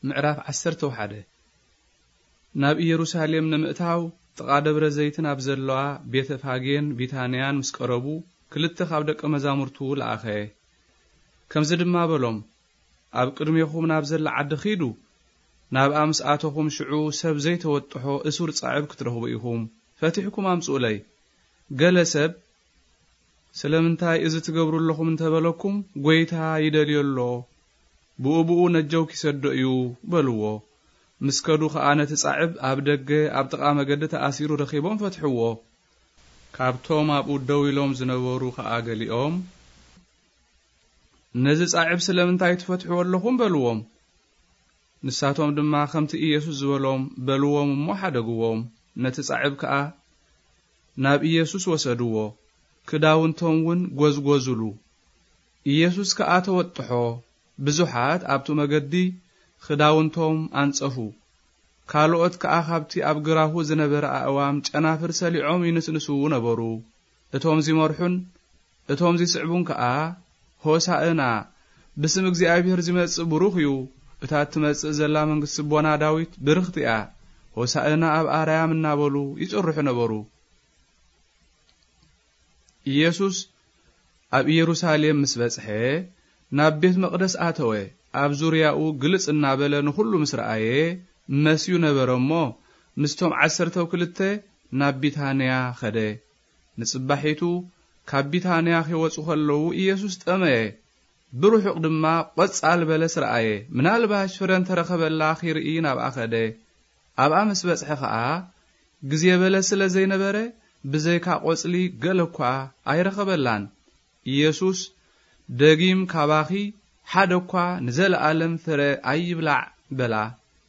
ምዕራፍ ዓሰርተ ሓደ። ናብ ኢየሩሳሌም ንምእታው ጥቓ ደብረ ዘይትን ኣብ ዘለዋ ቤተ ፋጌን ቢታንያን ምስ ቀረቡ፣ ክልተ ካብ ደቀ መዛሙርቱ ለኣኸ። ከምዚ ድማ በሎም፣ "ኣብ ቅድሜኹም ናብ ዘላ ዓዲ ኺዱ፣ ናብኣ ምስ ኣተኹም ሽዑ ሰብ ዘይተወጥሖ እሱር ጻዕብ ክትረኽቡ ኢኹም። ፈቲሕኩም ኣምጽኡለይ። ገለ ሰብ፣ 'ስለምንታይ እዚ ትገብሩ ኣለኹም?' እንተበለኩም፣ 'ጐይታ ይደልዮ ኣሎ፣ ብኡ ብኡ ነጀው ኪሰዶ እዩ' በልዎ። ምስ ከዱ ኸኣ ነቲ ጻዕብ ኣብ ደገ ኣብ ጥቓ መገዲ ተኣሲሩ ረኺቦም ፈትሕዎ። ካብቶም ኣብኡ ደው ኢሎም ዝነበሩ ኸኣ ገሊኦም፣ 'ነዚ ጻዕብ ስለምንታይ ትፈትሕዎ ኣለኹም?' በልዎም። ንሳቶም ድማ ከምቲ ኢየሱስ ዝበሎም በልዎም እሞ ሓደግዎም። ነቲ ጻዕብ ከኣ ናብ ኢየሱስ ወሰድዎ፣ ክዳውንቶም እውን ጐዝጐዙሉ። ኢየሱስ ከኣ ተወጥሖ። ብዙሓት ኣብቲ መገዲ ክዳውንቶም ኣንጸፉ። ካልኦት ከኣ ካብቲ ኣብ ግራሁ ዝነበረ ኣእዋም ጨናፍር ሰሊዖም ይንስንሱ ነበሩ። እቶም ዚመርሑን እቶም ዚስዕቡን ከኣ፣ "ሆሳእና! ብስም እግዚኣብሔር ዚመጽእ ብሩኽ እዩ! እታ እትመጽእ ዘላ መንግስቲ ኣቦና ዳዊት ብርኽቲ እያ! ሆሳእና ኣብ ኣርያም!" እናበሉ ይጽርሑ ነበሩ። ኢየሱስ ኣብ ኢየሩሳሌም ምስ በጽሐ፣ ናብ ቤት መቕደስ ኣተወ። ኣብ ዙርያኡ ግልጽ እናበለ ንኹሉ ምስ ረኣየ፣ መስዩ ነበረ እሞ፣ ምስቶም ዓሰርተው ክልተ ናብ ቢታንያ ኸደ። ንጽባሒቱ ካብ ቢታንያ ኺወጹ ኸለዉ፣ ኢየሱስ ጠመየ። ብርሑቕ ድማ ቈጻል በለስ ረኣየ። ምናልባሽ ፍረ እንተ ረኸበላ ኺርኢ ናብኣ ኸደ። ኣብኣ ምስ በጽሐ ኸኣ፣ ግዜ በለስ ስለ ዘይነበረ፣ ብዘይካ ቈጽሊ ገለ እኳ ኣይረኸበላን። ኢየሱስ፣ "ደጊም ካባኺ ሓደ እኳ ንዘለኣለም ፍረ ኣይብላዕ" በላ።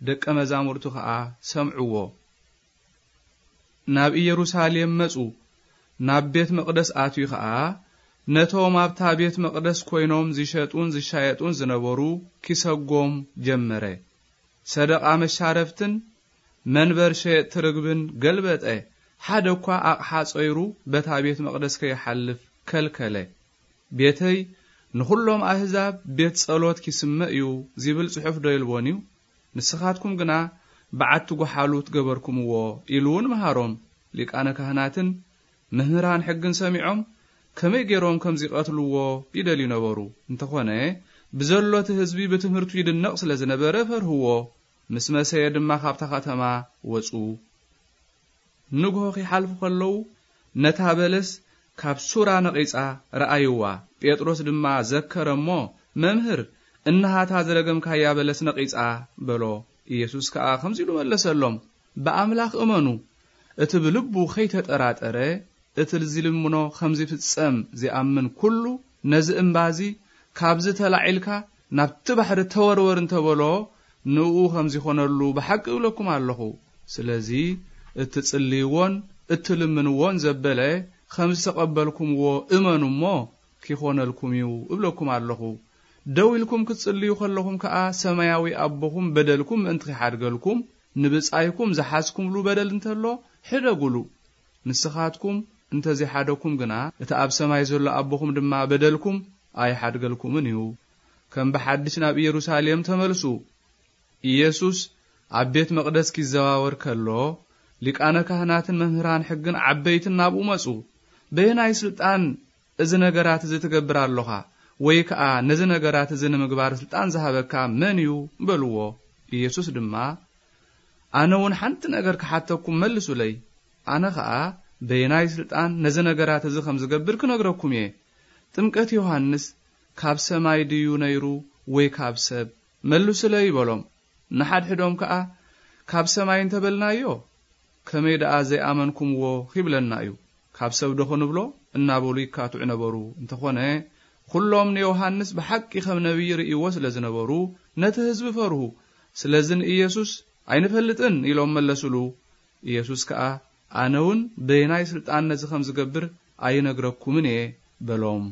ደቀ መዛሙርቱ ኸኣ ሰምዕዎ። ናብ ኢየሩሳሌም መጹ። ናብ ቤት መቕደስ ኣትዩ ኸኣ፣ ነቶም ኣብታ ቤት መቕደስ ኰይኖም ዚሸጡን ዚሻየጡን ዝነበሩ ኪሰጎም ጀመረ። ሰደቓ መሻረፍትን መንበር ሸየጥቲ ርግብን ገልበጠ። ሓደ እኳ ኣቕሓ ጾይሩ በታ ቤት መቕደስ ከይሓልፍ ከልከለ። "ቤተይ ንኹሎም ኣህዛብ ቤት ጸሎት ኪስመ እዩ" ዚብል ጽሑፍ ዶ የልቦን እዩ? ንስኻትኩም ግና በዓቲ ጐሓሉት ገበርኩምዎ ኢሉ እውን መሃሮም። ሊቃነ ካህናትን መምህራን ሕግን ሰሚዖም ከመይ ገይሮም ከም ዚቐትልዎ ይደልዩ ነበሩ። እንተኾነ ብዘሎ እቲ ህዝቢ ብትምህርቱ ይድነቕ ስለ ዝነበረ ፈርህዎ። ምስ መሰየ ድማ ካብታ ኸተማ ወጹ። ንግሆ ኺሓልፉ ኸለዉ፣ ነታ በለስ ካብ ሱራ ነቒጻ ረኣይዋ። ጴጥሮስ ድማ ዘከረ እሞ፣ "መምህር፣ እንሃታ ዝረገምካያ በለስ ነቒጻ" በሎ። ኢየሱስ ከኣ ከምዚ ኢሉ መለሰሎም፣ "ብኣምላኽ እመኑ፣ እቲ ብልቡ ኸይተጠራጠረ፣ እቲ ዚልምኖ ኸም ዚፍጸም ዚኣምን ኩሉ፣ ነዚ እምባ እዚ፣ 'ካብዚ ተላዒልካ ናብቲ ባሕሪ ተወርወር' እንተ በሎ፣ ንእኡ ኸም ዚኾነሉ ብሓቂ እብለኩም ኣለኹ። ስለዚ፣ እትጽልይዎን እትልምንዎን ዘበለ ኸም ዝተቐበልኩምዎ እመኑ እሞ፣ ኪኾነልኩም እዩ እብለኩም ኣለኹ። ደው ኢልኩም ክትጽልዩ ኸለኹም ከኣ፣ ሰማያዊ ኣቦኹም በደልኩም ምእንቲ ኺሓድገልኩም፣ ንብጻይኩም ዝሓዝኩምሉ በደል እንተሎ፣ ሕደጉሉ። ንስኻትኩም እንተ ዘይሓደኩም ግና፣ እቲ ኣብ ሰማይ ዘሎ ኣቦኹም ድማ በደልኩም ኣይሓድገልኩምን እዩ። ከም ብሓድሽ ናብ ኢየሩሳሌም ተመልሱ።" ኢየሱስ ኣብ ቤት መቕደስ ኪዘዋወር ከሎ፣ ሊቃነ ካህናትን መምህራን ሕግን ዓበይትን ናብኡ መጹ። "በየናይ ስልጣን እዚ ነገራት እዚ ትገብር ኣሎኻ? ወይ ከኣ ነዚ ነገራት እዚ ንምግባር ስልጣን ዝሃበካ መን እዩ?" በልዎ። ኢየሱስ ድማ፣ "ኣነ እውን ሓንቲ ነገር ክሓተኩም መልሱለይ። ኣነ ኸኣ በየናይ ስልጣን ነዚ ነገራት እዚ ኸም ዝገብር ክነግረኩም እየ። ጥምቀት ዮሃንስ ካብ ሰማይ ድዩ ነይሩ ወይ ካብ ሰብ? መልሱለይ" በሎም። ንሓድሕዶም ከኣ፣ "ካብ ሰማይ እንተ በልናዮ፣ ከመይ ደኣ ዘይኣመንኩምዎ ኺብለና እዩ? ካብ ሰብዶ ኽንብሎ?" እናበሉ ይካትዑ ነበሩ። እንተኾነ፣ ኵሎም ንዮሃንስ ብሓቂ ኸም ነቢይ ርእይዎ ስለ ዝነበሩ፣ ነቲ ህዝቢ ፈርሁ። ስለዚ ንኢየሱስ፣ "ኣይንፈልጥን" ኢሎም መለሱሉ። ኢየሱስ ከኣ፣ "ኣነ እውን በየናይ ስልጣን ነዚ ኸም ዝገብር ኣይነግረኩምን እየ" በሎም።